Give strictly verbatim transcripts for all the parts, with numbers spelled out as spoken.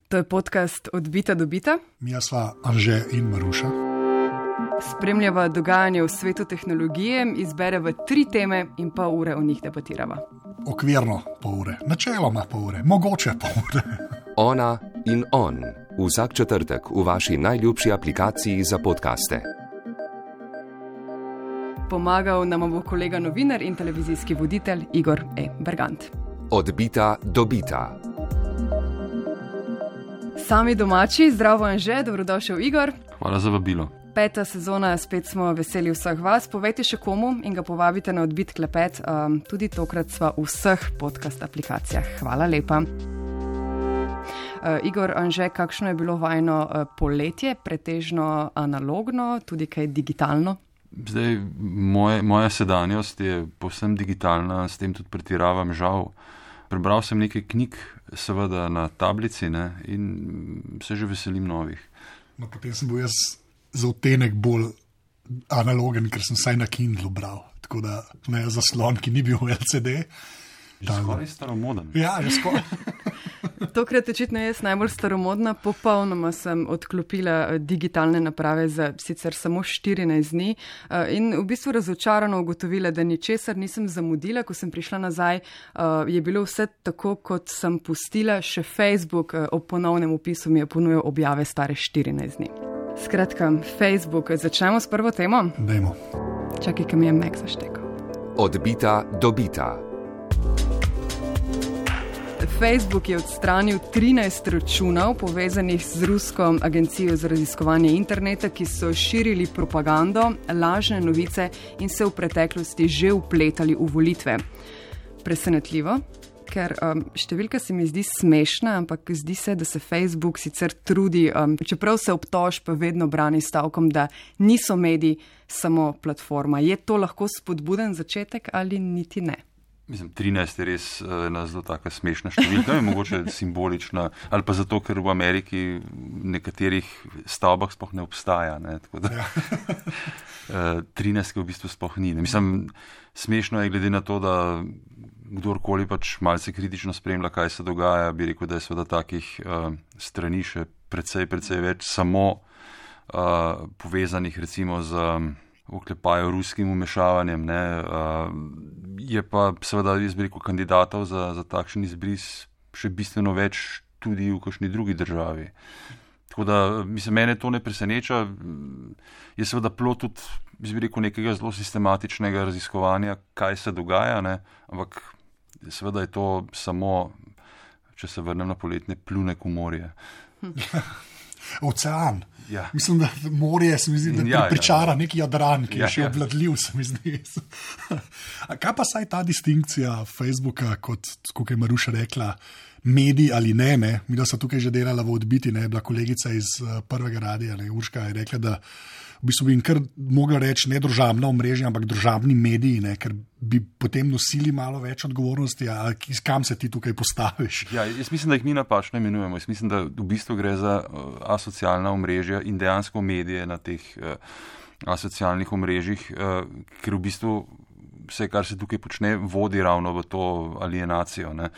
To je podcast Od bita do bita. Mija sva Anže in Maruša. Spremljava dogajanje v svetu tehnologije, izbereva tri teme in pol ure o njih debatirava. Okvirno pol ure, načeloma pol ure, mogoče pol ure. Ona in on. Vsak četrtek v vaši najljubši aplikaciji za podcaste. Pomagal nam bo kolega novinar in televizijski voditelj Igor E. Bergant. Od bita do bita. Sami domači, zdravo Anže, dobrodošel Igor. Hvala za vabilo. Peta sezona, spet smo veseli vseh vas. Povejte še komu in ga povabite na Odbit klepet. Um, tudi tokrat sva v vseh podcast aplikacijah. Hvala lepa. Uh, Igor, Anže, kakšno je bilo vajno uh, poletje? Pretežno analogno, tudi kaj digitalno? Zdaj, moje, moja sedanjost je povsem digitalna, s tem tudi pretiravam, žal. Prebral sem nekaj knjig, seveda na tablici, ne, in se že veselim novih. No, potem sem bil jaz za odtenek bolj analogen, ker sem vsaj na Kindlu bral. Tako da ne zaslon, ki ni bil v L C D. Že skoraj staromoden. Ja, že skoraj. Tokrat očitno jaz najbolj staromodna, popolnoma sem odklopila digitalne naprave za sicer samo štirinajst dni in v bistvu razočarano ugotovila, da ničesar nisem zamudila. Ko sem prišla nazaj, je bilo vse tako, kot sem pustila. Še Facebook ob ponovnem opisu mi je ponujal objave stare štirinajst dni. Skratka, Facebook. Začnemo s prvo temo? Dajmo. Čakaj, ki mi je Mac zaštekal. Od bita do bita. Facebook je odstranil trinajst računov povezanih z rusko agencijo za raziskovanje interneta, ki so širili propagando, lažne novice in se v preteklosti že vpletali v volitve. Presenetljivo, ker um, številka se mi zdi smešna, ampak zdi se, da se Facebook sicer trudi, um, čeprav se obtožb vedno brani stavkom, da niso mediji, samo platforma. Je to lahko spodbuden začetek ali niti ne? Mislim, trinajst je res ena zelo taka smešna številka, je mogoče simbolična, ali pa zato, ker v Ameriki v nekaterih stavbah sploh ne obstaja. Ne, tako da, ja. trinajst v bistvu sploh ni. Ne. Mislim, smešno je glede na to, da kdorkoli pač malce kritično spremlja, kaj se dogaja, bi rekel, da je seveda takih uh, strani še precej, precej več, samo uh, povezanih recimo z oklepajo ruskim umešavanjem, ne, uh, je pa seveda, jaz bi rekel, kandidatov za, za takšen izbris še bistveno več tudi v kakšni drugi državi. Tako da, mislim, mene to ne preseneča, je seveda plod tudi, jaz bi rekel, nekega zelo sistematičnega raziskovanja, kaj se dogaja, ne, ampak seveda je to samo, če se vrnem na poletne, plunek v morje. Ocean. Ja. Mislim, da morje se mi zdi, da ja, pričara ja, ja. neki Jadran, ki je ja, še ja. obvladljiv, se mi zdi. A kaj pa saj ta distinkcija Facebooka, kot kako je Maruša rekla, medij ali ne, ne? Mi da so tukaj že delala v Odbiti, ne, bila kolegica iz uh, prvega radija, ne, Urška je rekla, da v bistvu bi jim kar mogla reči ne družabna omrežja, ampak družabni mediji, ne, ker bi potem nosili malo več odgovornosti, a kam se ti tukaj postaviš? Ja, jaz mislim, da jih mi napačno imenujemo. Jaz mislim, da v bistvu gre za uh, asocialna omrežja in dejansko medije na teh uh, asocialnih omrežjih, uh, ker v bistvu vse, kar se tukaj počne, vodi ravno v to alienacijo. Ne.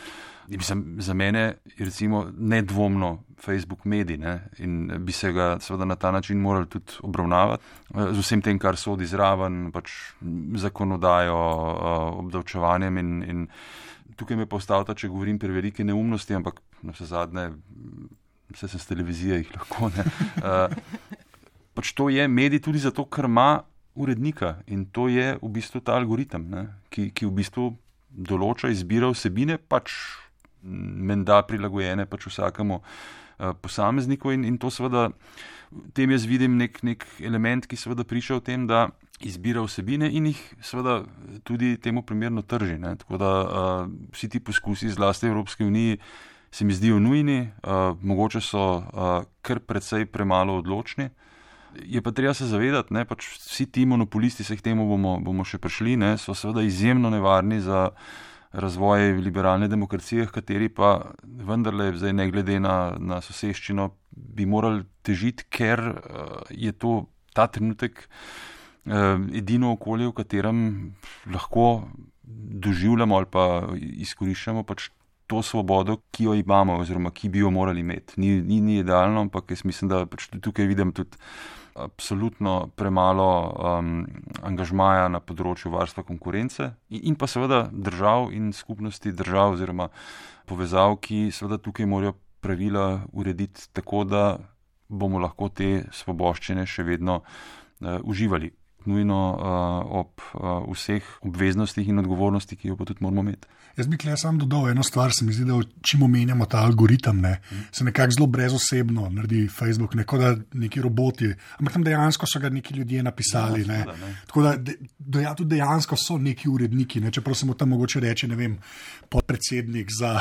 Mislim, za mene je recimo nedvomno Facebook medij, ne, in bi se ga seveda na ta način morali tudi obravnavati z vsem tem, kar sodi zraven, pač zakonodajo, obdavčevanjem in, in tukaj me postavlja, če govorim prevelike neumnosti, ampak na vse zadnje, vse sem s televizije, jih lahko ne. Pač to je medij tudi zato, ker ima urednika in to je v bistvu ta algoritem, ne, ki, ki v bistvu določa izbira vsebine, pač menda prilagojene pač vsakemu uh, posamezniku in, in to seveda, tem jaz vidim nek, nek element, ki seveda priča o tem, da izbira vsebine in jih seveda tudi temu primerno trži. Ne. Tako da uh, vsi ti poskusi zlasti Evropske unije se mi zdijo nujni, uh, mogoče so uh, kar precej premalo odločni. Je pa treba se zavedati, ne, pač vsi ti monopolisti, se k temu bomo, bomo še prišli, ne, so seveda izjemno nevarni za razvoj liberalne demokracije, kateri pa vendarle zdaj ne glede na, na soseščino bi morali težiti, ker uh, je to ta trenutek uh, edino okolje, v katerem lahko doživljamo ali pa izkoriščamo pač to svobodo, ki jo imamo oziroma ki bi jo morali imeti. Ni, ni, ni idealno, ampak jaz mislim, da pač tukaj vidim tudi absolutno premalo um, angažmaja na področju varstva konkurence in, in pa seveda držav in skupnosti držav oziroma povezav, ki seveda tukaj morajo pravila urediti tako, da bomo lahko te svoboščine še vedno uh, uživali. Nujno uh, ob uh, vseh obveznostih in odgovornosti, ki jo pa tudi moramo imeti. Jaz bi tukaj sam dodal eno stvar, se mi zdi, da čim omenjamo ta algoritem, ne, se nekako zelo brezosebno naredi Facebook, neko da neki roboti, ampak tam dejansko so ga neki ljudje napisali. Ja, ne. Ne. Tako da de, de, ja, tudi dejansko so neki uredniki, ne, čeprav se mu tam mogoče reči, ne vem, podpredsednik za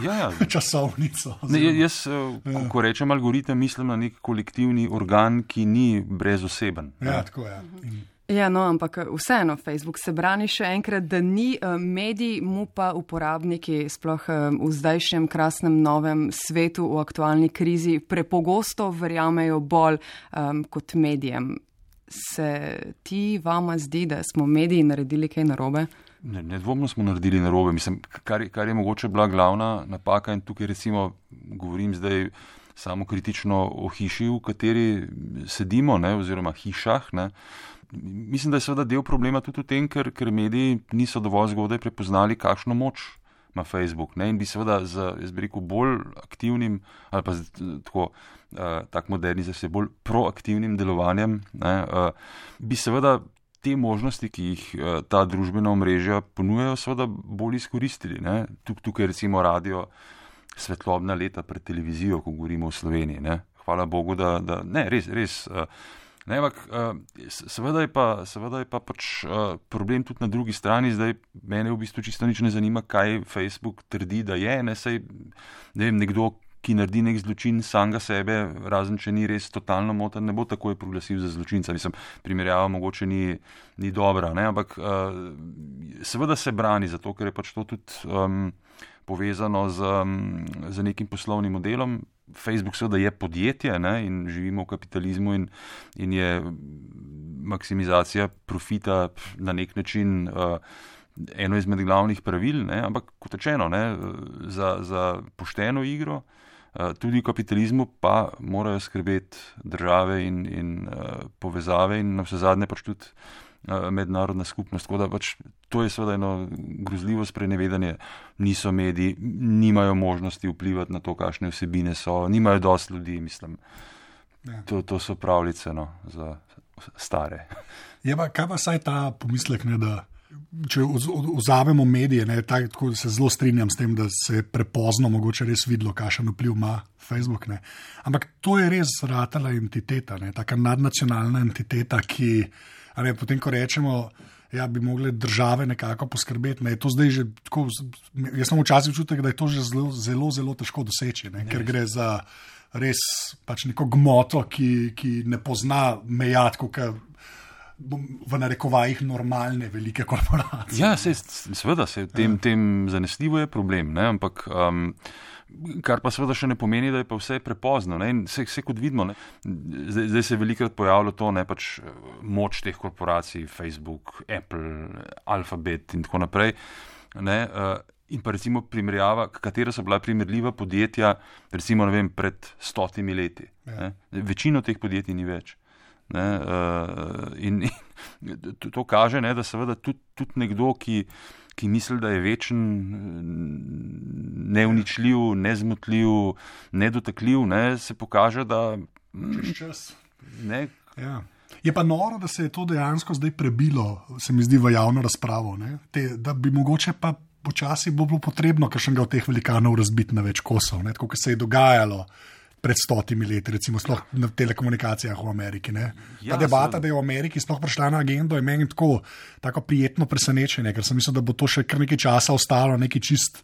ja, ja. časovnico. Ne, jaz, ja. ko rečem algoritem, mislim na nek kolektivni organ, ki ni brezoseben. Ja, tako je. Ja. In Ja, no, ampak vseeno, Facebook se brani še enkrat, da ni medij, mu pa uporabniki, sploh v zdajšnjem krasnem novem svetu, v aktualni krizi, prepogosto verjamejo bolj um, kot medijem. Se ti vama zdi, da smo mediji naredili kaj narobe? Ne, nedvomno smo naredili narobe. Mislim, kar, kar je mogoče bila glavna napaka in tukaj recimo govorim zdaj samo kritično o hiši, v kateri sedimo, ne, oziroma hišah, ne. Mislim, da je seveda del problema tudi v tem, ker, ker mediji niso dovolj zgodaj prepoznali, kakšno moč ima Facebook. Ne? In bi seveda z, jaz bi rekel, bolj aktivnim, ali pa z, tako, uh, tak moderni, z bolj proaktivnim delovanjem, ne, uh, bi seveda te možnosti, ki jih uh, ta družbena omrežja ponujajo, seveda bolj izkoristili. Ne? Tuk, tukaj recimo radio svetlobna leta pred televizijo, ko govorimo o Sloveniji. Ne? Hvala Bogu, da, da ne, res, res. Uh, Ne, ampak, seveda je pa, seveda je pa pač problem tudi na drugi strani. Zdaj mene v bistvu čisto nič ne zanima, kaj Facebook trdi, da je. Ne, sej, ne vem, nekdo, ki naredi nek zločin samega sebe, razen če ni res totalno moten, ne bo takoj proglasil za zločinca. Mislim, primerjava mogoče ni, ni dobra, ne, ampak seveda se brani zato, ker je pač to tudi um, povezano z, um, z nekim poslovnim modelom. Facebook seveda je podjetje, ne, in živimo v kapitalizmu in, in je maksimizacija profita na nek način uh, eno izmed glavnih pravil, ne, ampak kot rečeno, ne, za, za pošteno igro uh, tudi v kapitalizmu pa morajo skrbeti države in, in uh, povezave in na vse zadnje pač tudi uh, mednarodna skupnost. Tako da pač to je seveda eno grozljivo sprenevedanje. Niso mediji, nimajo možnosti vplivati na to, kakšne vsebine so, nimajo dosti ljudi, mislim. Ja. To, to so pravljice, no, za stare. Je pa, kaj pa saj ta pomislek, ne, da če vzamemo medije, ne, tako se zelo strinjam s tem, da se je prepozno mogoče res videlo, kakšen vpliv ima Facebook, ne. Ampak to je res ratala entiteta, ne, taka nadnacionalna entiteta, ki, a ne, potem, ko rečemo, ja, bi mogli države nekako poskrbeti. Ne, to zdaj že tako, jaz sem včasih občutek, da je to že zelo, zelo, zelo težko doseči, ne, ker gre za res pač neko gmoto, ki, ki ne pozna meja, tako kot v narekovajih normalne velike korporacije. Ja, se, seveda se tem, tem zanesljivo je problem, ne, ampak um, kar pa seveda še ne pomeni, da je pa vse prepozno. Ne, in vse, vse kot vidimo, ne, zdaj, zdaj se je velikrat pojavilo to, ne, pač moč teh korporacij, Facebook, Apple, Alphabet in tako naprej, ne, uh, in pa recimo primerjava, katera so bila primerljiva podjetja, recimo, ne vem, pred stotimi leti. Ja. Ne, večino teh podjetij ni več. Ne, uh, in, in to, to kaže, ne, da seveda tudi, tudi nekdo, ki, ki misli, da je večen, neuničljiv, nezmotljiv, nedotakljiv, ne, se pokaže, da čez čas. Ne, ja. Je pa noro, da se je to dejansko zdaj prebilo, se mi zdi, v javno razpravo, ne, Te, da bi mogoče pa počasi bo bilo potrebno kakšnega od teh velikanov razbiti na več kosov, ne, tako kot se je dogajalo pred stotimi leti, recimo sploh na telekomunikacijah v Ameriki. Ne. Ta ja, debata, da je v Ameriki sploh prišla na agendo, je meni tako, tako prijetno presenečenje, ker sem mislil, da bo to še kar nekaj časa ostalo, neki čist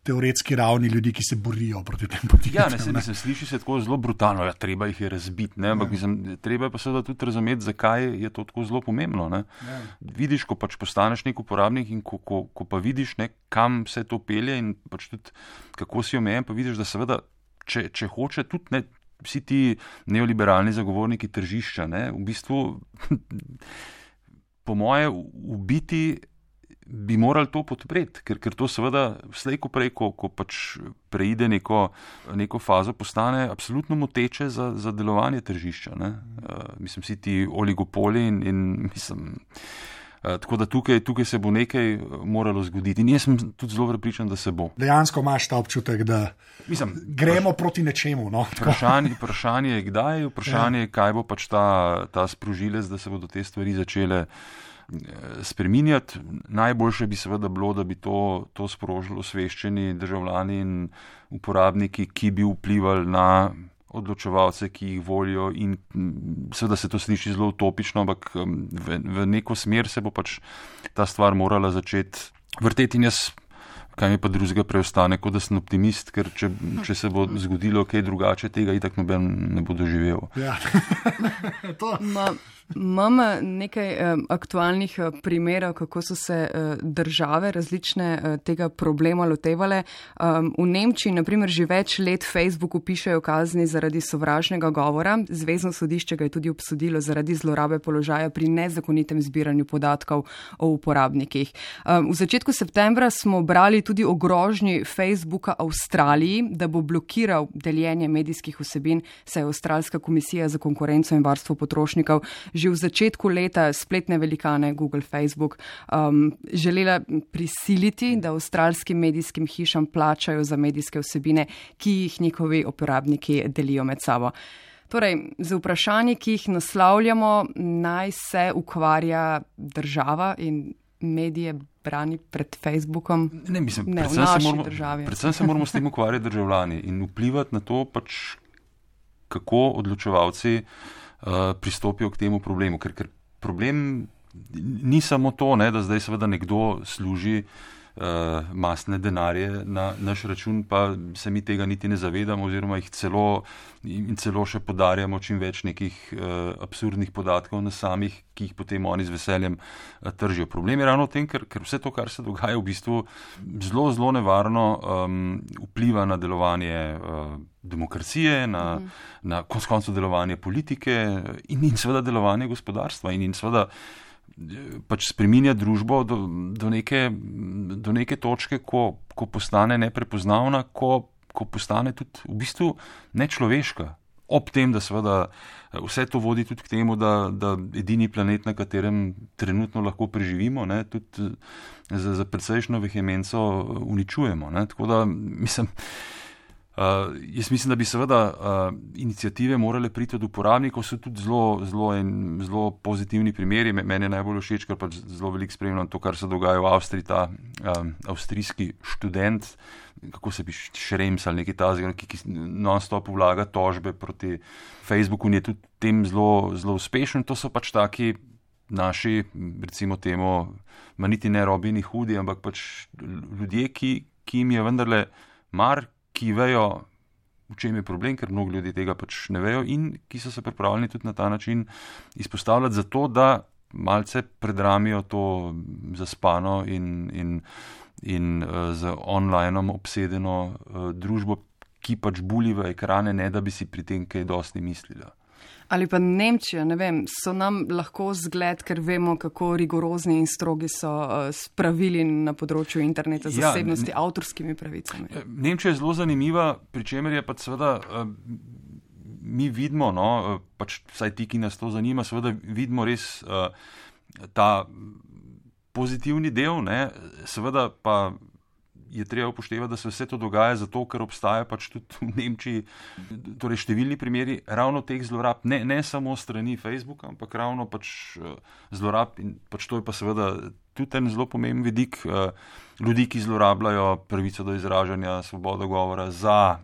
teoretski ravni ljudi, ki se borijo proti tem podjetjem. Ja, ne, se, ne, se sliši se tako zelo brutalno, ja, treba jih je razbiti, ne, ampak ja. mislim, treba je pa seveda tudi razumeti, zakaj je to tako zelo pomembno. Ne. Ja. Vidiš, ko pač postaneš nek uporabnik in ko, ko, ko pa vidiš, ne, kam se to pelje in pač tudi kako si omejen, pa vidiš, da seveda Če, če hoče tudi ne, vsi ti neoliberalni zagovorniki tržišča, ne, v bistvu po moje ubiti bi morali to podpreti, ker, ker to seveda slej ko prej, ko, ko pač preide neko, neko fazo, postane absolutno moteče za, za delovanje tržišča. Ne? Uh, mislim, vsi ti oligopoli in, in mislim, uh, tako da tukaj, tukaj se bo nekaj moralo zgoditi. In jaz sem tudi zelo prepričan, da se bo. Dejansko imaš ta občutek, da mislim, gremo praš, proti nečemu. No? Vprašanje, vprašanje je kdaj, vprašanje je, kaj bo pač ta, ta sprožilec, da se bodo te stvari začele spreminjati. Najboljše bi seveda bilo, da bi to, to sprožilo osveščeni državljani in uporabniki, ki bi vplivali na odločevalce, ki jih volijo, in seveda se to sliši zelo utopično, ampak v, v neko smer se bo pač ta stvar morala začeti vrteti. In jaz, kaj mi pa drugega preostane, kot da sem optimist, ker če, če se bo zgodilo kaj drugače, tega itak noben ne bo doživel. Ja. to. Ma, imam nekaj um, aktualnih uh, primerov, kako so se uh, države različne uh, tega problema lotevale. Um, v Nemčiji, na primer, že več let Facebooku pišejo kazni zaradi sovražnega govora. Zvezno sodišče ga je tudi obsodilo zaradi zlorabe položaja pri nezakonitem zbiranju podatkov o uporabnikih. Um, v začetku septembra smo brali tudi o grožnji Facebooka Avstraliji, da bo blokiral deljenje medijskih vsebin, saj je Avstralska komisija za konkurenco in varstvo potrošnikov že v začetku leta spletne velikane Google, Facebook um, želela prisiliti, da avstralskim medijskim hišam plačajo za medijske vsebine, ki jih njihovi uporabniki delijo med sabo. Torej, z vprašanji, ki jih naslavljamo, naj se ukvarja država in medije brani pred Facebookom. Ne, mislim, ne, predvsem, v naši se moramo, državi. predvsem se moramo s tem ukvarjati državljani in vplivati na to, pač, kako odločevalci Uh, pristopijo k temu problemu, ker, ker problem ni samo to, ne, da zdaj seveda nekdo služi uh, masne denarje na naš račun, pa se mi tega niti ne zavedamo oziroma jih celo in celo še podarjamo čim več nekih uh, absurdnih podatkov na samih, ki jih potem oni z veseljem uh, tržijo. Problem je ravno v tem, ker, ker vse to, kar se dogaja, v bistvu zelo, zelo nevarno um, vpliva na delovanje uh, demokracije, na, uh-huh. na konec koncev delovanje politike in, in seveda delovanje gospodarstva in, in seveda pač spreminja družbo do, do, neke, do neke točke, ko, ko postane neprepoznavna, ko, ko postane tudi v bistvu nečloveška. Ob tem, da seveda vse to vodi tudi k temu, da, da edini planet, na katerem trenutno lahko preživimo, ne, tudi za, za precejšno vehemenco uničujemo. Ne. Tako da, mislim, Uh, jaz mislim, da bi seveda uh, iniciative morale priti od uporabnikov, so tudi zelo, zelo, en, zelo pozitivni primeri. Meni je najbolj všeč, ker pač zelo veliko spremljam to, kar se dogaja v Avstriji, ta um, avstrijski študent, kako se bi Šrems ali nekaj tazga, ki, ki non-stop vlaga tožbe proti Facebooku in je tudi tem zelo, zelo uspešen. To so pač taki naši, recimo temu, ma niti ne Robini Hudi, ampak pač ljudje, ki, ki jim je vendarle mar, ki vejo, v čem je problem, ker mnogo ljudi tega pač ne vejo in ki so se pripravljeni tudi na ta način izpostavljati za to, da malce predramijo to zaspano in, in, in uh, z onlineom obsedeno uh, družbo, ki pač buli v ekrane, ne da bi si pri tem kaj dosti mislila. Ali pa Nemčija, ne vem, so nam lahko zgled, ker vemo, kako rigorozni in strogi so uh, spravili na področju interneta zasebnosti, ja, avtorskimi pravicami. Nemčija je zelo zanimiva, pri čemer je pa seveda, uh, mi vidimo, no, uh, pač vsaj ti, ki nas to zanima, seveda vidimo res uh, ta pozitivni del, ne, seveda pa je treba upoštevati, da se vse to dogaja zato, ker obstaja pač tudi v Nemčiji torej številni primeri ravno teh zlorab, ne, ne samo strani Facebooka, ampak ravno pač zlorab in pač to je pa seveda tudi en zelo pomemben vidik ljudi, ki zlorabljajo pravico do izražanja, svobodo govora za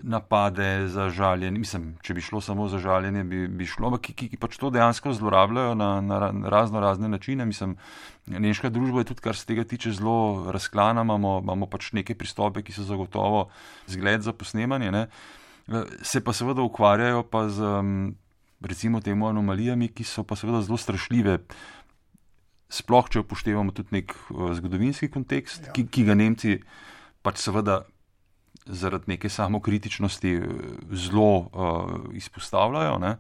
napade, za žaljenje. Mislim, če bi šlo samo za žaljenje, bi, bi šlo, ampak ki, ki, ki pač to dejansko zlorabljajo na, na razno razne načine. Mislim, nemška družba je tudi, kar se tega tiče, zelo razklana, imamo, imamo pač neke pristope, ki so zagotovo zgled za posnemanje, ne. Se pa seveda ukvarjajo pa z, recimo temu, anomalijami, ki so pa seveda zelo strašljive. Sploh, če upoštevamo tudi nek zgodovinski kontekst, ja. ki, ki ga Nemci pač seveda zaradi neke samokritičnosti zelo uh, izpostavljajo, ne?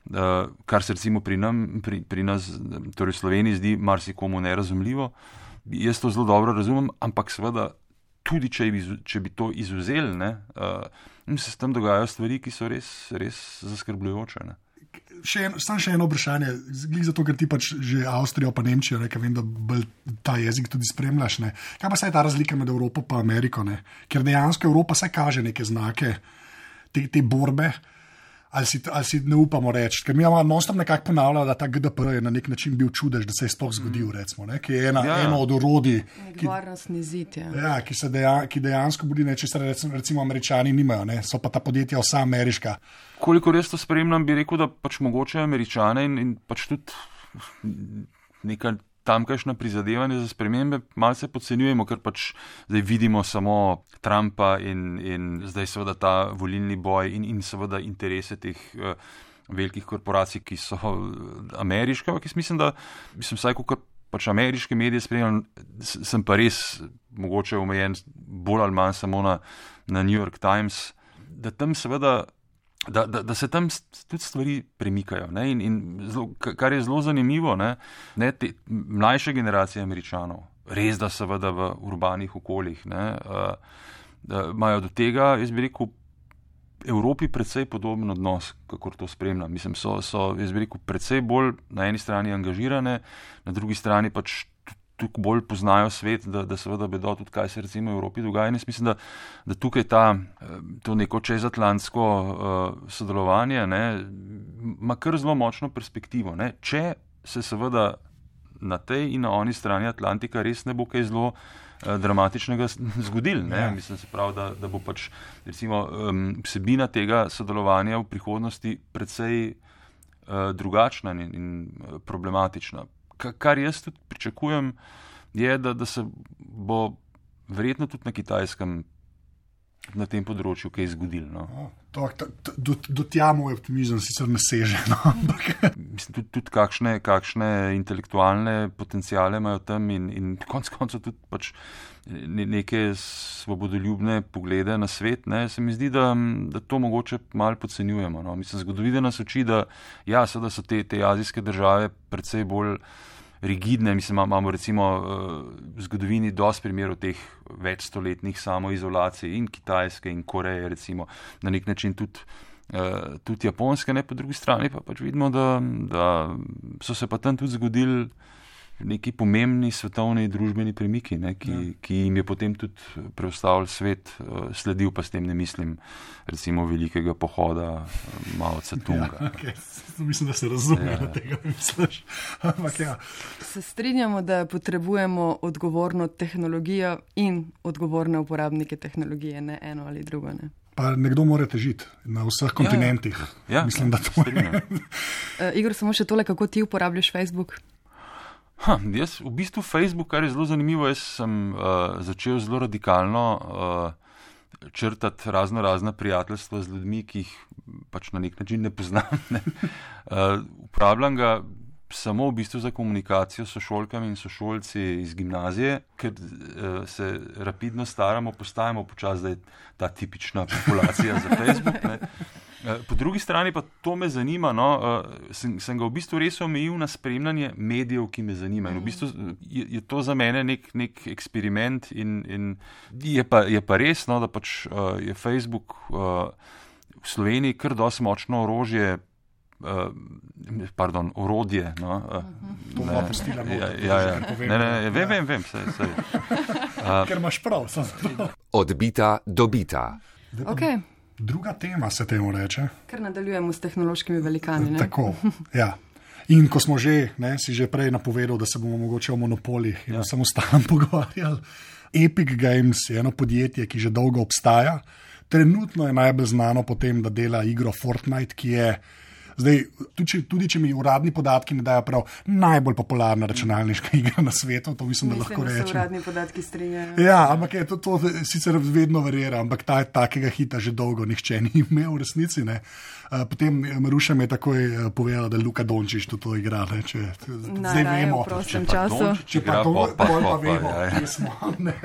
Uh, kar se recimo pri, nam, pri, pri nas, torej v Sloveniji, zdi marsikomu nerazumljivo. jaz to zelo dobro razumem, ampak seveda tudi, če bi, če bi to izuzeli, ne, uh, se s tem dogajajo stvari, ki so res, res zaskrbljujoče. Ne. Še en, sam še eno vprašanje, zato ker ti pač že Avstrijo pa Nemčijo, ne, vem, da bolj ta jezik tudi spremljaš. Ne. Kaj pa se je ta razlika med Evropo pa Ameriko? Ne? Ker dejansko Evropa se kaže neke znake te, te borbe, ali si, ali si ne upamo reči. Ker mi imamo non-stop nekako ponavljali, da ta G D P R je na nek način bil čudež, da se je sploh zgodil, recimo, ne? Ki je ena, ja, eno od orodij, ki, zid, ja. Ja, ki, se deja, ki dejansko budi nečesar, recimo, recimo Američani nimajo, ne? So pa ta podjetja vsa ameriška. Koliko res to spremljam, bi rekel, da pač mogoče Američane in, in pač tudi neka tamkajšnja prizadevanja za spremembe malce podcenjujemo, ker pač zdaj vidimo samo Trumpa in, in zdaj seveda ta volilni boj in, in seveda interese teh uh, velikih korporacij, ki so ameriške, ampak jaz mislim, da mislim, vsaj kot pač ameriške medije spremljam, sem pa res mogoče omejen bolj ali manj samo na, na New York Times, da tam seveda Da, da, da se tam tudi stvari premikajo. Ne? In, in zelo, kar je zelo zanimivo, ne? Ne, te mlajše generacije Američanov, res da seveda v urbanih okoljih, ne, uh, imajo do tega, jaz bi rekel, Evropi precej podoben odnos, kakor to spremljam. Mislim, so, so jaz bi rekel, precej bolj na eni strani angažirane, na drugi strani pač tukaj bolj poznajo svet, da, da seveda vedo tudi, kaj se recimo v Evropi dogaja. In jaz mislim, da, da tukaj ta, to neko čezatlantsko uh, sodelovanje ne, ima kar zelo močno perspektivo. Ne. Če se seveda na tej in na oni strani Atlantika res ne bo kaj zelo uh, dramatičnega zgodil. Ne. Mislim, se pravi, da, da bo pač recimo um, vsebina tega sodelovanja v prihodnosti precej uh, drugačna in, in problematična. Kar jaz tudi pričakujem, je, da, da se bo verjetno tudi na Kitajskem na tem področju kaj zgodilo. No. To, to, do, do tja moj optimizem sicer ne seže. No. Mislim, tudi, tudi kakšne, kakšne intelektualne potencijale imajo tam in, in konc koncev tudi pač neke svobodoljubne poglede na svet. Ne. Se mi zdi, da, da to mogoče malo podcenjujemo. No. Mislim, zgodovina nas uči, da ja, seveda so te, te azijske države precej bolj rigidne. Mislim, imamo recimo v zgodovini dosti primerov teh večstoletnih samoizolacij in Kitajske in Koreje, recimo na nek način tudi, tudi Japonske, ne, po drugi strani pa pač vidimo, da, da so se pa tam tudi zgodili neki pomembni svetovni družbeni premiki, ne, ki, ja. ki jim je potem tudi preostavil svet, sledil pa s tem ne mislim recimo velikega pohoda Mao Tse-tunga. Ja, okay. Mislim, da se razume, ja. Da tega ne misliš. Ampak ja. Se strinjamo, da potrebujemo odgovorno tehnologijo in odgovorne uporabnike tehnologije, ne eno ali drugo. Ne? Pa nekdo mora težiti na vseh kontinentih. Ja, ja. Mislim, da to je. uh, Igor, samo še tole, kako ti uporabljaš Facebook? Ha, jaz v bistvu Facebook, kar je zelo zanimivo, jaz sem uh, začel zelo radikalno uh, črtati razno razna prijateljstva z ljudmi, ki jih pač na nek način ne poznam. Ne. Uh, uporabljam ga samo v bistvu za komunikacijo s sošolkami in sošolci iz gimnazije, ker uh, se rapidno staramo, postajamo počasi, da je ta tipična populacija za Facebook. Ne. Po drugi strani pa to me zanima, no, sem, sem ga v bistvu res omejil na spremljanje medijev, ki me zanimajo. In v bistvu je, je to za mene nek, nek eksperiment in, in je, pa, je pa res, no, da pač uh, je Facebook uh, v Sloveniji kar dosti močno orožje, uh, pardon, orodje. No, uh, to bo pustila ja, ja, ja. Ne, ne, ne, vem, vem, vem, sej, sej. Uh, Ker imaš prav. Odbita, dobita. Okay. Druga tema se temu reče. Ker nadaljujemo s tehnološkimi velikani. Ne? Tako, ja. In ko smo že, ne, si že prej napovedal, da se bomo mogoče o monopolih in ja. o samostalnem pogovarjali. Epic Games je eno podjetje, ki že dolgo obstaja. Trenutno je najbolj znano po tem, da dela igro Fortnite, ki je zdaj, tudi, tudi če mi uradni podatki ne dajo prav, najbolj popularna računalniška igra na svetu, to mislim, da lahko rečem. Mislim, da se uradni podatki strinjajo. Ja, ampak je to, to sicer vedno verjera, ampak ta, takega hita že dolgo nihče ni imel v resnici. Ne. Potem Maruša mi je takoj povedala, da Luka Dončić to, to igra. Ne, če, zdaj vemo. V prostem času. Če pa to, bolj pa vemo, kje smo. Ne.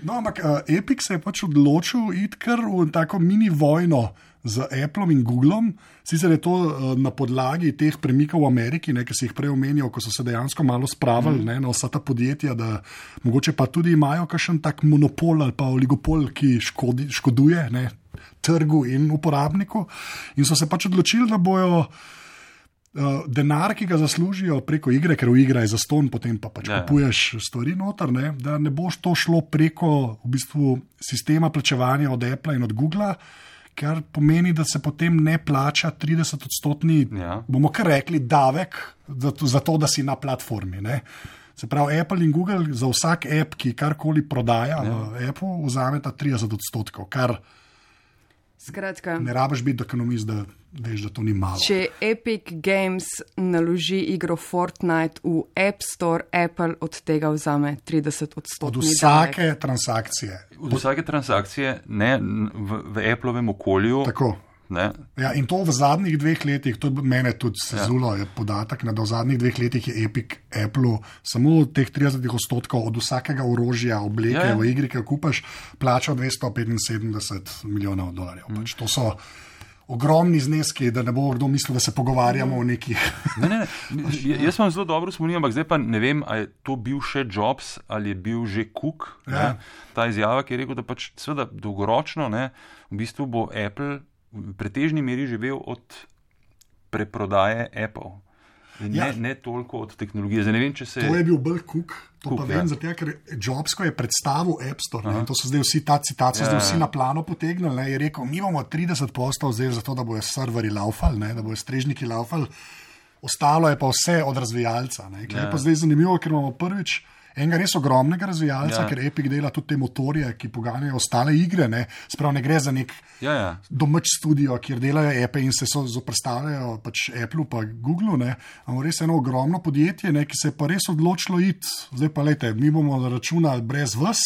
No, ampak Epic se je pač odločil iti kar v tako mini vojno z Appleom in Googlom. Sicer je to uh, na podlagi teh premikov v Ameriki, ne, ki si jih prej omenjal, ko so se dejansko malo spravili mm. ne, na vsa ta podjetja, da mogoče pa tudi imajo kakšen tak monopol ali pa oligopol, ki škodi, škoduje ne, trgu in uporabniku. In so se pač odločili, da bojo uh, denar, ki ga zaslužijo preko igre, ker v igra je zastonj, potem pa pač ja. kupuješ stvari noter, ne, da ne boš to šlo preko v bistvu sistema plačevanja od Apple in od Google, kar pomeni, da se potem ne plača trideset odstotni, ja. bomo kar rekli, davek za to, za to, da si na platformi. Ne. Se pravi, Apple in Google za vsak app, ki karkoli prodaja ja. v appu, vzameta trideset odstotkov, kar Skratka, ne rabiš biti ekonomist, da veš, da to ni malo. Če Epic Games naloži igro Fortnite v App Store, Apple od tega vzame trideset odstotkov. Od vsake davek. transakcije. Od vsake transakcije, ne v, v Applovem okolju. Tako. Ne. Ja, in to v zadnjih dveh letih, to mene tudi sezulo, ja. je podatek, da v zadnjih dveh letih je Epic Apple samo teh trideset odstotkov od vsakega orožja, obleke ja, ja. v igri, ki jo kupaš, plačal dvesto petinsedemdeset milijonov dolarjev. Mm. Pač to so ogromni zneski, da ne bo kdo mislil, da se pogovarjamo mm. o nekih. Ne, ne, ne. Jaz vam zelo dobro spominjam, ampak zdaj pa ne vem, ali je to bil še Jobs ali je bil že Cook. Ja. Ta izjava, ki je rekel, da pač seveda dolgoročno, ne, v bistvu bo Apple v pretežni meri živel od preprodaje Apple. Ne, ja. ne toliko od tehnologije. Zdaj ne vem, če se... To je bil bolj Cook, to Cook, pa vem, ja. zato, ker Jobs, ko je predstavil App Store, ne, to so zdaj vsi ta citacija, ja, zdaj vsi ja. na plano potegnili, ne, je rekel, mi bomo trideset posto zdaj zato, da bojo serveri laufali, ne, da bojo strežniki laufali, ostalo je pa vse od razvijalca. Ne, ja. Je pa zdaj zanimivo, ker imamo prvič enega res ogromnega razvijalca, ja. ker Epic dela tudi te motorje, ki poganjajo ostale igre, ne, sprav ne gre za nek ja, ja. domač studio, kjer delajo Apple in se so zoprstavljajo pač Apple pa Google, ne, imamo res eno ogromno podjetje, ne, ki se je pa res odločilo iti, zdaj pa lejte, mi bomo računali brez vas,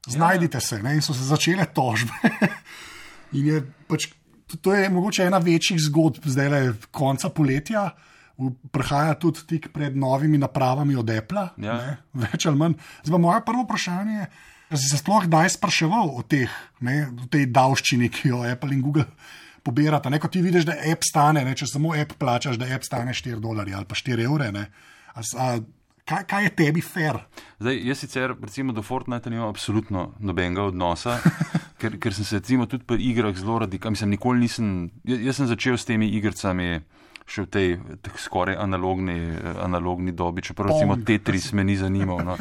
znajdite ja. se, ne, in so se začele tožbe. In je pač, to je mogoče ena večjih zgodb, zdaj le konca poletja, prihaja tudi tik pred novimi napravami od Apple, ja. več ali manj. Zdaj, moje prvo vprašanje je, da si se sploh kdaj spraševal o teh, ne, o tej davščini, ki jo Apple in Google pobirata. Ne, ko ti vidiš, da app stane, ne, če samo app plačaš, da app stane štiri dolarje ali pa štiri evre. Ne. A, a, kaj, kaj je tebi fair? Zdaj, jaz sicer recimo do Fortnite nimam absolutno nobenega odnosa, ker, ker sem se recimo tudi pri igrah zelo radikal. Mislim, nikoli nisem, jaz, jaz sem začel s temi igricami še v tej skoraj analogni, analogni dobi, čeprav recimo Tetris me ni zanimal. No.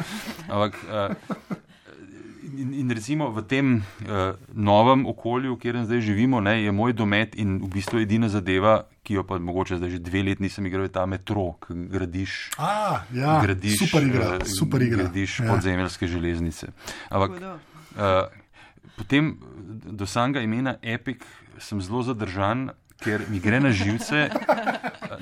Ampak, uh, in, in recimo v tem uh, novem okolju, v katerem zdaj živimo, ne, je moj domet in v bistvu edina zadeva, ki jo pa mogoče zdaj že dve let nisem igral, je ta Metro, ki gradiš, A, ja, gradiš, super igra, uh, super igra. gradiš ja. podzemeljske železnice. Ampak uh, potem do samega imena Epic sem zelo zadržan, ker mi gre na živce.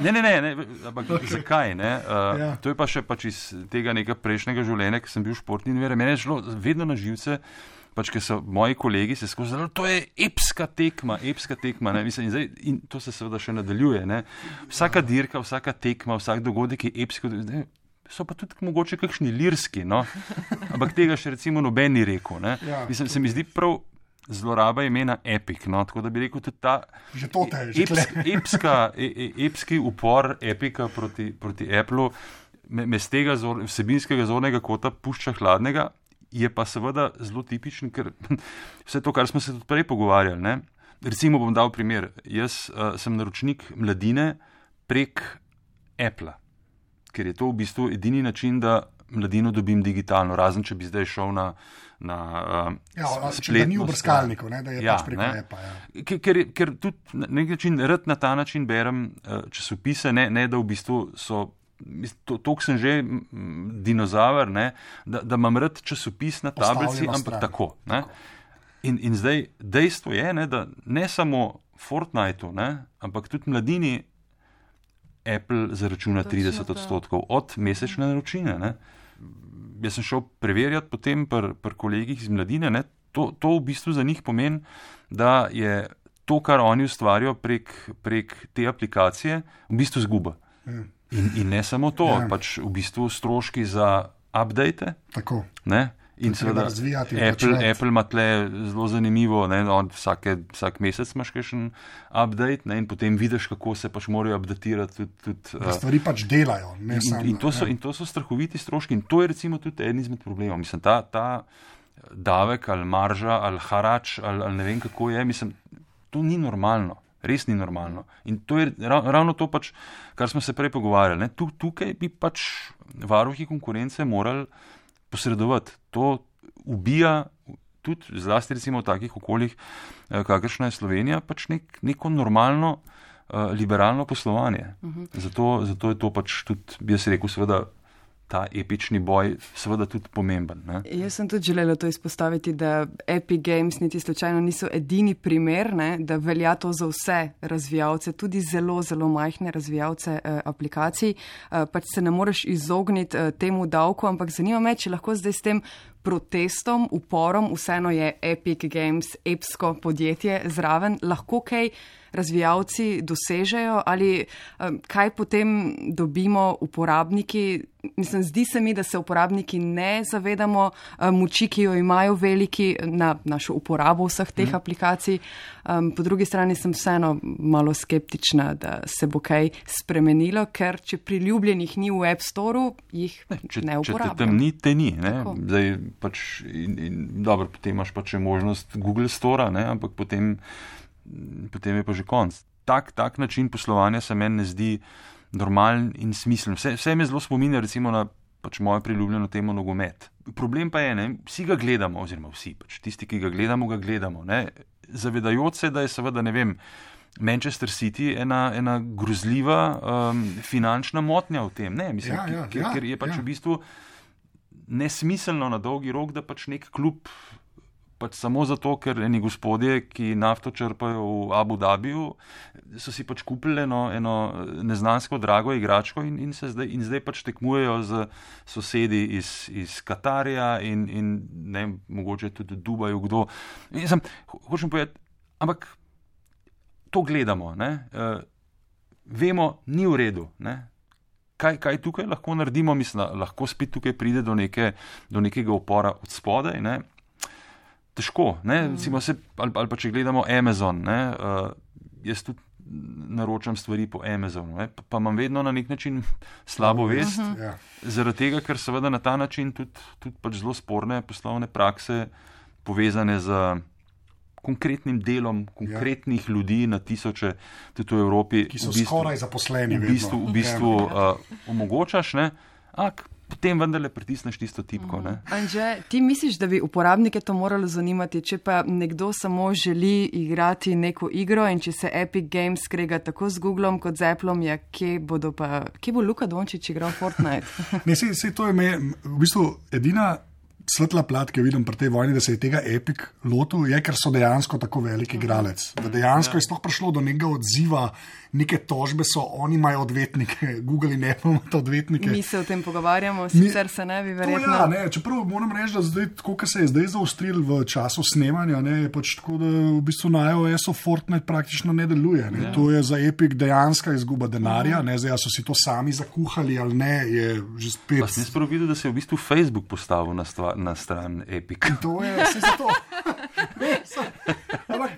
Ne, ne, ne, ne ampak okay. zakaj? Ne? Uh, ja. To je pa še pač iz tega nekega prejšnjega življenja, ki sem bil športni in vere. Mene je šlo vedno na živce, pač ker so moji kolegi se skozi zdali, to je epska tekma, epska tekma. Ne? Mislim, in, zdaj, in to se seveda še nadaljuje. Ne? Vsaka dirka, vsaka tekma, vsak dogodek je epski. Ne? So pa tudi mogoče kakšni lirski, no? Ampak tega še recimo noben ni rekel. Ne? Ja. Mislim, se mi zdi prav zloraba imena Epic, no, tako da bi rekel tudi ta že to te, že eps, epska, e, epski upor Epica proti, proti Applu me, me z tega zor, vsebinskega zornega kota pušča hladnega, je pa seveda zelo tipičen, ker vse to, kar smo se tudi prej pogovarjali, ne. Recimo bom dal primer, jaz uh, sem naročnik Mladine prek Appla, ker je to v bistvu edini način, da Mladino dobim digitalno, razen če bi zdaj šel na na uh, ja, spletno, da ni v brskalniku, ne, da je ja, pač preko Appa. Ja. Ker, ker tudi na nek način, rad na ta način berem uh, časopise, ne, ne da v bistvu so, toliko sem že m, dinozaver, ne, da, da imam rad časopis na tablici, ampak tako. Ne. In, in zdaj dejstvo je, ne, da ne samo Fortniteu, ne, ampak tudi Mladini Apple zaračuna trideset odstotkov od mesečne naročnine. Ne. Jaz sem šel preverjati potem pri pr kolegih iz Mladine, ne, to, to v bistvu za njih pomeni, da je to, kar oni ustvarijo prek, prek te aplikacije, v bistvu zguba. In, in ne samo to, ja. pač v bistvu stroški za update, ne, In seveda, Apple, Apple ima tle zelo zanimivo, ne, vsake, vsak mesec imaš kakšen update, ne, in potem vidiš, kako se pač morajo updatirati. Tudi, tudi, da stvari pač delajo. Ne, in, sam, in, to so, in to so strahoviti stroški in to je recimo tudi eden izmed problemov. Mislim, ta, ta davek ali marža ali harač ali, ali ne vem kako je, mislim, to ni normalno. Res ni normalno. In to je ravno to, pač, kar smo se prej pogovarjali. Ne? Tukaj bi pač varuhi konkurence morali posredovati. To ubija tudi zlasti recimo v takih okoljih, kakršna je Slovenija, pač nek, neko normalno liberalno poslovanje. Uh-huh. Zato, zato je to pač tudi, bi jaz rekel, seveda ta epični boj seveda tudi pomemben. Ne? Jaz sem tudi želela to izpostaviti, da Epic Games niti slučajno niso edini primer, ne, da velja to za vse razvijalce, tudi zelo, zelo majhne razvijalce eh, aplikacij. Eh, pač se ne moreš izogniti eh, temu davku, ampak zanima me, če lahko zdaj s tem protestom, uporom, vseeno je Epic Games epsko podjetje zraven, lahko kaj razvijalci dosežejo ali um, kaj potem dobimo uporabniki. Mislim, zdi se mi, da se uporabniki ne zavedamo um, moči, ki jo imajo veliki na našo uporabo vseh teh mm. aplikacij. Um, po drugi strani sem vseeno malo skeptična, da se bo kaj spremenilo, ker če priljubljenih ni v App Storeu, jih ne, če, ne uporabljam. Če te tam ni, te ni. Ne? Zdaj, pač, in, in, dobro, potem imaš pa še možnost Google Stora, ne? Ampak potem potem je pa že konc. Tak, tak način poslovanja se meni ne zdi normalen in smislen. Vse, vse me zelo spominja recimo na pač mojo priljubljeno temo nogomet. Problem pa je, ne, vsi ga gledamo, oziroma vsi, pač tisti, ki ga gledamo, ga gledamo. Ne, zavedajoč se, da je seveda, ne vem, Manchester City ena, ena grozljiva um, finančna motnja v tem. Ne, mislim, ja, ja, ker, ja, ker je pač ja. v bistvu nesmiselno na dolgi rok, da pač nek klub pač samo zato, ker eni gospodje, ki nafto črpajo v Abu Dhabiju, so si pač kupili eno, eno neznansko drago igračko in, in, se zdaj, in zdaj pač tekmujejo z sosedi iz, iz Katarja in, in ne, mogoče tudi v Dubaju, kdo. In sem, hočem povedati, ampak to gledamo, ne, uh, vemo, ni v redu, ne. Kaj, kaj tukaj lahko naredimo, mislim, lahko spet tukaj pride do, neke, do nekega upora od spodaj, ne. Težko, ne, recimo se, ali, ali pa če gledamo Amazon, ne, uh, jaz tudi naročam stvari po Amazonu, ne, pa, pa imam vedno na nek način slabo vest, uh-huh. zaradi tega, ker seveda na ta način tudi, tudi pač zelo sporne poslovne prakse povezane z konkretnim delom konkretnih ja. ljudi na tisoče, tudi v Evropi, ki so v bistvu, skoraj zaposleni, v bistvu, v bistvu uh, omogočaš, ne, ak, potem vendarle pritisneš tisto tipko. Ne? Anže, ti misliš, da bi uporabnike to moralo zanimati, če pa nekdo samo želi igrati neko igro in če se Epic Games skrega tako z Googlom kot z Appleom, ja, kje, bodo pa, kje bo Luka Dončić igral Fortnite? Ne, sej, sej to je me, v bistvu edina svetla plat, ki jo vidim pri tej vojni, da se je tega Epic lotil, je, ker so dejansko tako velik igralec. Da dejansko ja. je sploh prišlo do nekega odziva, neke tožbe so, oni imajo odvetnike, Google in Apple imajo odvetnike. Mi se o tem pogovarjamo, sicer se ne bi verjetno. Ja, ne, čeprav moram reči, da zdaj, tako, kar se je zdaj zaostril v času snemanja, ne, je pač tako, da v bistvu na iOS-u Fortnite praktično ne deluje. Ne. Ja. To je za Epic dejanska izguba denarja, ne, zdaj so si to sami zakuhali ali ne, je že spet. Pa sem sprav videl, da se je v bistvu Facebook postavil na, stva, na stran Epic. In to je vse za to. Ne, so, ampak,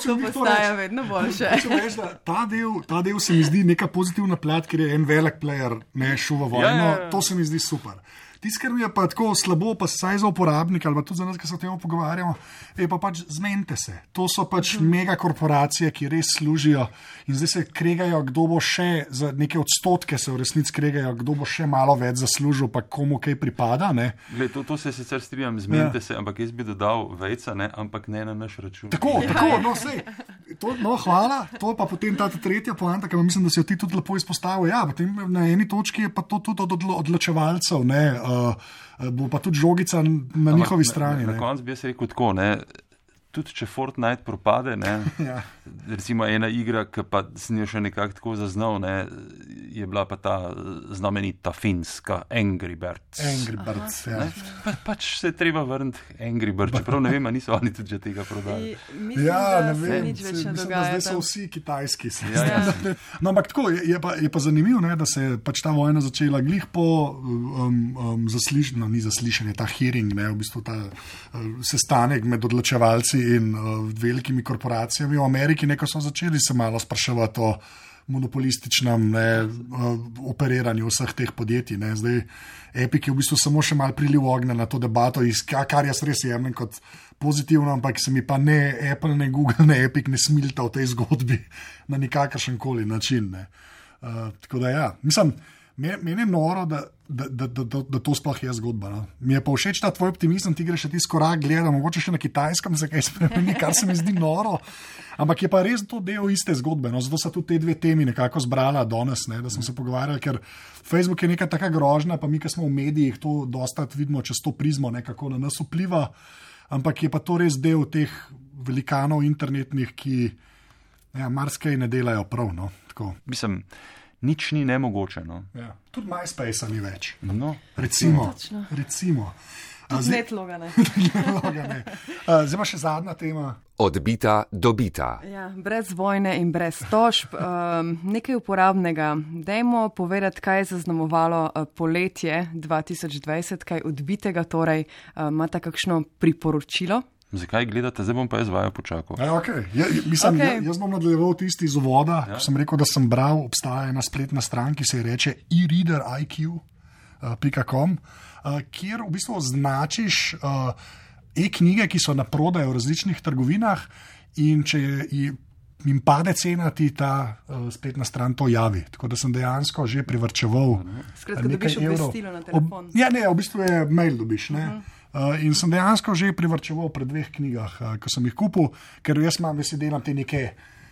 to postaja vedno boljše. Reči, ta, del, ta del se mi zdi neka pozitivna plat, ker je en velik player, ne šuva vojno. Ja, ja, ja. To se mi zdi super. Tisto, kar mi je pa tako slabo, pa saj za uporabnika, ali pa tudi za nas, ki se o tem pogovarjamo, je pa pač zmenite se. To so pač uh-huh. mega korporacije, ki res služijo in zdaj se kregajo, kdo bo še, za neke odstotke se v resnici kregajo, kdo bo še malo več zaslužil, pa komu kaj pripada. Ne? Gled, to, to se sicer strinjam, zmenite ja. se, ampak jaz bi dodal vejca, ne, ampak ne na naš račun. Tako, ja, tako, no sej. To, no, hvala. To je pa potem ta tretja poanta, ki mislim, da si jo ti tudi lepo izpostavil. Ja, potem na eni točki je pa to tudi od odločevalcev, ne, uh, bo pa tudi žogica na Ampak, njihovi strani. Na, na koncu bi jaz rekel tako, ne, tudi če Fortnite propade, ne, ja. recimo ena igra, ki pa sem jo še nekako tako zaznal, ne, je bila pa ta znamenita finska Angry Birds. Angry Birds, ja. Pa, pač se je treba vrniti Angry Birds, čeprav ne vem, a niso oni tudi že tega prodali. Mislim, Ja, da ne se vem, nič več se- ne mislim, da dogaja. zdaj so tam. vsi kitajski. se Ja, ja. zdi. No, ampak tako, je, je, pa, je pa zanimivo, ne, da se je pač ta vojna začela glih po um, um, zaslišanju, no, ni zaslišanje, ta hearing, ne, v bistvu ta uh, sestanek med odločevalci in uh, velikimi korporacijami v Ameriki, neko so začeli se malo spraševati o monopolističnem ne, uh, operiranju vseh teh podjetij. Ne. Zdaj, Epic je v bistvu samo še mal priliv ognja na to debato, iz, kar jaz res jemljem kot pozitivno, ampak se mi pa ne Apple, ne Google, ne Epic ne smilta v tej zgodbi na nikakršen koli način. Ne. Uh, tako da ja, mislim, meni je noro, da, da, da, da, da, da to sploh je zgodba. No. Mi je pa všeč ta tvoj optimizem, ti greš še tisti korak, gledam, mogoče še na Kitajskem se kaj spremeni, kar se mi zdi noro. Ampak je pa res to del iste zgodbe. No. Zato so tudi te dve temi nekako zbrala danes, ne, da smo se pogovarjali, ker Facebook je neka taka grožnja, pa mi, ki smo v medijih, to dosta vidimo čez to prizmo, nekako na nas vpliva. Ampak je pa to res del teh velikanov internetnih, ki ja, marsikaj ne delajo prav. No. Tako. Mislim, nič ni nemogoče. No. Ja. Tudi MySpace ni več. No. Recimo. Točno. recimo. A, Tudi zdaj, netloga, ne. ne. A, zdaj pa še zadnja tema. Odbita dobita. Ja, brez vojne in brez tožb. Um, nekaj uporabnega. Dajmo povedati, kaj je zaznamovalo uh, poletje dva tisoč dvajset, kaj odbitega, torej uh, imate kakšno priporočilo? Zakaj gledate, zdaj bom pa jaz vajo počakal. Ja, okay. ja, mislim, Okay. ja, jaz bom nadaljeval tisti iz uvoda. Ja. Sem rekel, da sem bral, obstaja ena spletna stran, ki se ji reče e reader I Q pika com, uh, kjer v bistvu označiš uh, e-knjige, ki so na prodaj v različnih trgovinah, in če je, jim pade cena, ti ta uh, spletna stran to javi. Tako da sem dejansko že privrčeval. Skratka, nekaj dobiš evrov. obvestilo na telefon. Ob, ja, ne, v bistvu je mail dobiš. Ne? Uh, in sem dejansko že privrčeval pri dveh knjigah, uh, ko sem jih kupil, ker jaz imam, jaz si delam te neke,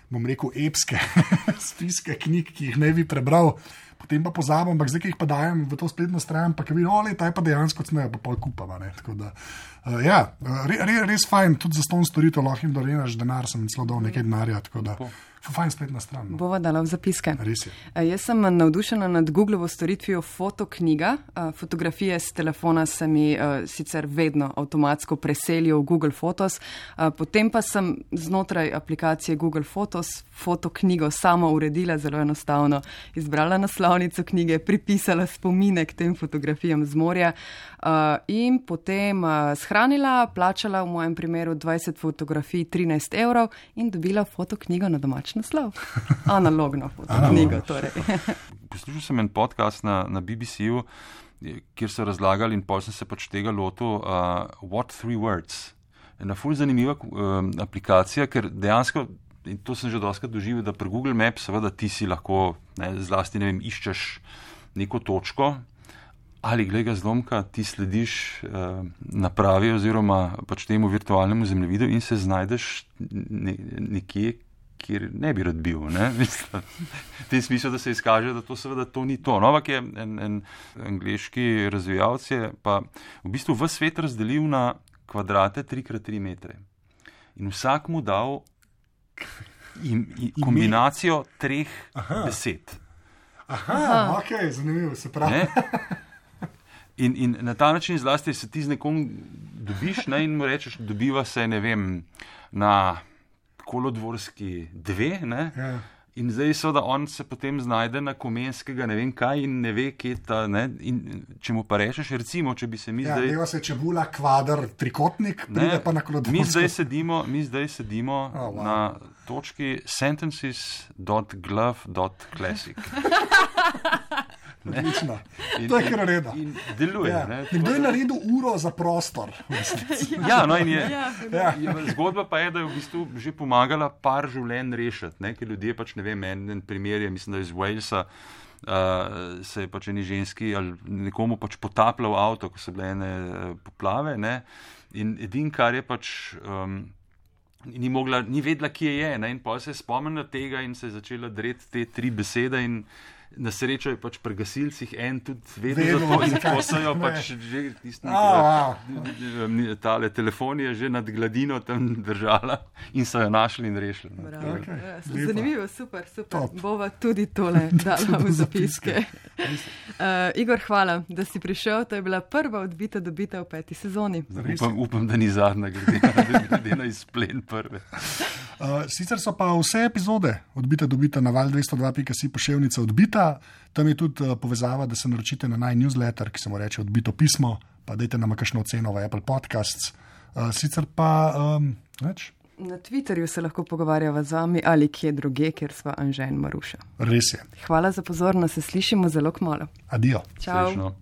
bom rekel, epske spiske knjig, ki jih ne bi prebral, potem pa pozabim, ampak zdaj, ki jih pa dajem v to spletno stran, pa ki vidim, ole, ta je pa dejansko cnejo, pa pol kupava. Ne? Tako da, uh, ja, re, re, res fajn, tudi za ston storitev lahko jim dorenaš denar, sem celo dal nekaj denarja, tako da, fajn spletna stran. No. Bova dala v zapiske. Res je. E, Jaz sem navdušena nad Googlovo storitvijo Fotoknjiga. E, Fotografije s telefona se mi e, sicer vedno avtomatsko preselijo v Google Photos, e, potem pa sem znotraj aplikacije Google Photos Fotoknjigo sama uredila, zelo enostavno. Izbrala naslovnico knjige, pripisala spomine k tem fotografijam z morja e, in potem e, shranila, plačala v mojem primeru dvajset fotografij, trinajst evrov in dobila Fotoknjigo na domač naslov. Analogno fotoknjigo, torej. Poslušal sem en podcast na, na B B C-ju, kjer so razlagali in pol sem se pač tega lotil, uh, What Three Words. Ena ful zanimiva uh, aplikacija, ker dejansko, in to sem že doskrat doživel, da pri Google Maps seveda ti si lahko, ne, zlasti ne vem, iščeš neko točko, ali glej ga zlomka, ti slediš uh, napravi oziroma pač temu virtualnemu zemljevidu in se znajdeš ne, nekje, kjer ne bi rad bil. Ne? Mislim, v tem smislu, da se izkaže, da to seveda to ni to. Novak je en, en angleški razvijalec, je pa v bistvu v svet razdelil na kvadrate tri krat tri metre. In vsak mu dal im, im, kombinacijo treh Aha. besed. Aha, Aha. ok, zanimivo, se pravi. In, in na ta način zlasti se ti z nekom dobiš, ne, in mu rečeš, dobiva se, ne vem, na Kolodvorski dve, ne? Ja. In zdaj so, da on se potem znajde na Komenskega, ne vem kaj, in ne ve, kje ta, ne, in če mu pa rečeš, recimo, če bi se mi ja, zdaj... Ja, deva se čebula, kvadr, trikotnik, pride pa na Kolodvorsko. Mi zdaj sedimo, mi zdaj sedimo oh, wow. na točki sentences dot glove dot classic. Odlično. To je kar reda. In deluje. Ja. Nekdo je naredil uro za prostor. Ja, no in je, ja. je. Zgodba pa je, da je v bistvu že pomagala par življenj rešiti, ne? Ker ljudje pač ne vem, en, en primer je, mislim, da iz Walesa uh, se je pač eni ženski ali nekomu pač potapljal avto, ko so bile ene poplave, ne? In edin, kar je pač... Um, Ni, mogla, ni vedela, kje je, ne? In pa se je spomnila tega in se je začela dreti te tri besede in Na srečo je pač pri gasilcih en tudi vedno za to in ko so jo pač že tisti tale telefon je že nad gladino tam držala in so jo našli in rešili. No. Okay. Zanimivo, super, super. Top. Bova tudi tole dala v zapiske. uh, Igor, hvala, da si prišel. To je bila prva odbita dobita v peti sezoni. Upam, upam da ni zadnja, glede, glede na izplen prve. Uh, sicer so pa vse epizode odbita dobita na val dvesto dva pika si poševnica odbita. Tam je tudi uh, povezava, da se naročite na naj newsletter, ki se mu reče Odbito pismo, pa dajte nam kakšno oceno v Apple Podcasts. Uh, sicer pa um, več. Na Twitterju se lahko pogovarjava z vami ali kje druge, ker sva Anže in Maruša. Res je. Hvala za pozornost, se slišimo zelo kmalu. Adijo. Čau. Slično.